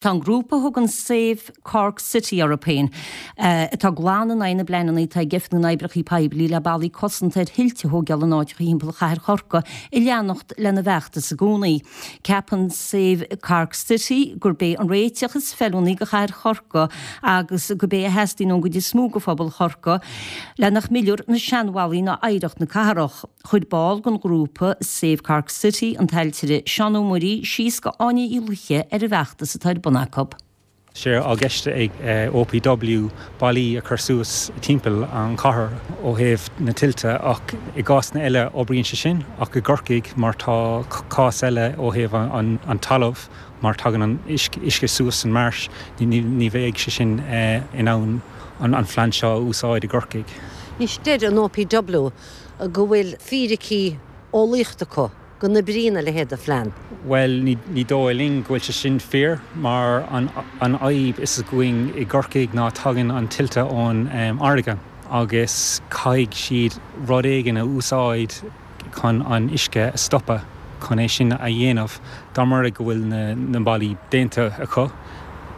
Tá an grúpa a thugann Save Cork City orthu féin, atá glan in aghaidh na bpleananna atá ag Oifig na nOibreacha Poiblí le ballaí cosanta ar thuilte a thóigeáil in áiteacha thimpeall chathair Chorcaí, ag leanacht lena bhfeachtas i gcónaí. Ceapann Save Cork City gurb é an réiteach is feiliúnaí do chathair Chorcaí agus gurb é a theastaíonn ón gcuid is mó de phobal Chorcaí le nach millfear na seanbhallaí ná oidhreacht na cathrach. Chuir ball den ghrúpa Save Cork City, an t-ailtire Seán Ó Muirí, síos go Áine Uí Laoithe ar an bhfeachtas atá ar bun acu. sé i gceist ag OPW ballaí a chur suas timpeall an chathair ó thaobh na tuilte ach i gcásanna eile oibríonn sé sin ach i gCorcaigh mar tá cás eile ó thaobh an talamh mar tagann an uisce suas san marsh ní bheidh sé sin in ann an phlean seo a úsáid i gCorcaigh. Anois deir an OPW go bhfuil fíricí eolaíochta acu go n-oibríonn a leithéid de phlean. Bhuel, ní dóigh linn go bhfuil sé sin fíor, mar an fhadhb is againn i gCorcaigh ná tagann an tuilte ón fharraige agus caithfidh siad rud éigin a úsáid chun an uisce a stopadh chun é sin a dhéanamh. Dá mba rud é go bhfuil na ballaí déanta acu,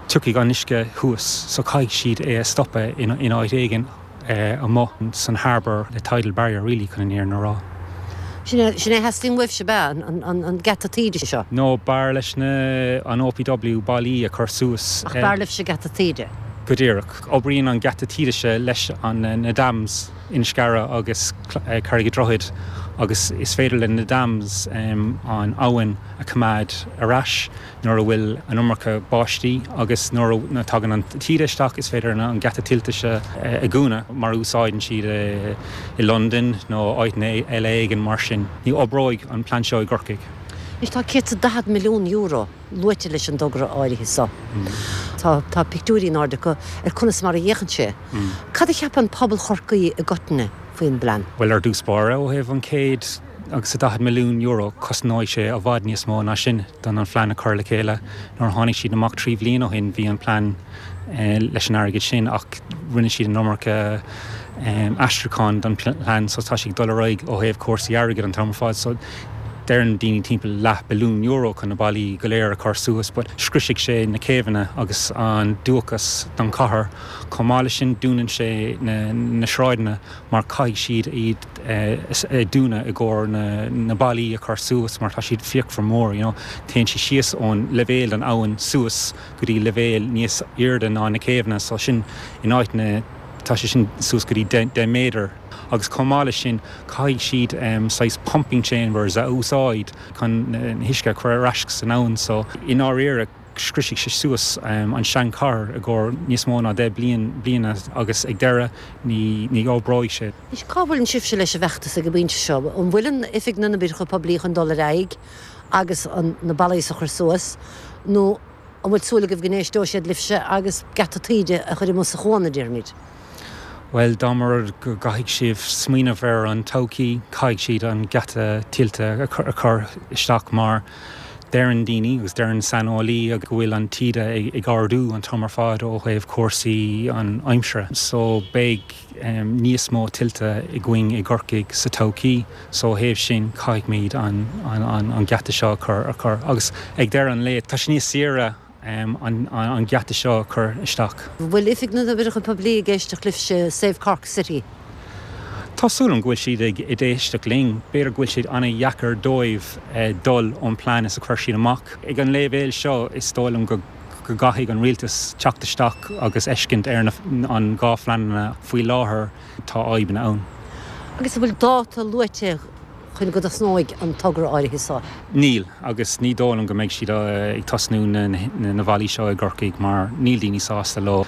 tiocfaidh an uisce thuas so caithfidh siad é a stopadh in áit éigin. amuigh san harbour le tidal barrier really chun an fhírinne a rá. Sin é, sin é a theastaíonn uaibhse, ab ea, an geata taoide seo? No, b'fhearr leis na, an OPW ballaí a chur suas. Ach b'fhearr libhse geata taoide? Go díreach. Oibríonn an geata taoide seo leis an, na dams, Inniscarra agus Carraig an Droichid agus is féidir le na dams an abhainn a choimeád ar ais. nuair a bhfuil an iomarca báistí agus nuair a tagann an taoide isteach is féidir an geata tuilte seo a dhúnadh mar a úsáideann siad i Londain nó áiteanna eile éigin mar sin. Ní oibreoidh an plean seo i gCorcaigh. Anois tá €140 milliún luaite leis an dtogra áirithe seo. Tá tá pictiúirí in airde acu ar conas mar a fhéachann sé. Cad a cheapann pobal Chorcaí i gcoitinne faoin bplean? Bhuel ar dtús báire ó thaobh an chéad. agus a €40 milliún, cosnóidh sé i bhfad níos mó ná sin don an phlean a chur le chéile. Nuair a tháinig siad amach 3 bhliain ó shin bhí an plean leis an airgead sin ach rinne siad an iomarca aistriúchán don phlean so tá sé ag dul ar aghaidh ó thaobh cúrsaí airgid an t-am ar fad so deireann daoine timpeall leath billiún euro chun na ballaí go léir a chur suas but scriosfaidh sé na céibheanna agus an dúchas don chathair. Chomh maith leis sin dúnann sé na sráideanna mar caithfidh siad iad a dúnadh i gcomhair na ballaí a chur suas mar tá siad fíochmhar mór, you know. Téann sé síos ón leibhéal den abhainn suas go dtí leibhéal níos airde ná na céibheanna so sin in áiteanna tá sé sin suas go dtí 10 méadar agus chomh maith leis sin caithfidh siad saghas pumping chambers a úsáid chun na huisce a chur ar ais san abhainn so i ndáiríre scriosfaidh sé suas an seanchathair i gcomhair níos mó ná 10 bliain bliana agus ag deireadh ní ní oibreoidh sé. Anois, cá bhfuileann sibhse leis an bhfeachtas ag an bpointe seo? An bhfuil an Oifig na nOibreacha Poiblí chun dul ar aghaidh agus an na ballaí a chur suas nó an bhfuil súil agaibh go n-éisteoidh siad libhse agus geata taoide a chur amuigh sa chuan, a déarfaimid? Bhuel, dá mba rud go gcaithfidh sibh smaoineamh ar an todhchaí, caithfidh siad an geata tuilte a chur isteach mar Deireann daoine agus deireann saineolaí go bhfuil an taoide ag ardú an t-am ar fad ó thaobh cúrsaí an aimsire so beidh níos mó tuilte againn i gCorcaigh sa todhchaí so ó thaobh sin caithfimid an an geata seo a chur a chur agus ag deireadh an lae tá sé níos saoire an geata seo a chur isteach. An bhfuil Oifig na nOibreacha Poiblí ag éisteacht libhse, Save Cork City? Tá súil agam go bhfuil siad ag éisteacht linn. B'fhéidir go bhfuil sé an-dheacair dóibh dul ón plean is a chuir siad amach. Ag an léibhéal seo is dóigh liom go gcaithfidh an rialtas teacht isteach agus fheiscint ar an dhá phleananna faoi láthair. Tá fadhbanna ann. Agus an bhfuil dáta luaite chun go dtosnóidh an togra áirithe seo? Níl, agus ní dóigh liom go mbeidh siad ag tosnú na bhfallaí seo i gCorcaigh mar níl daoine sásta leo.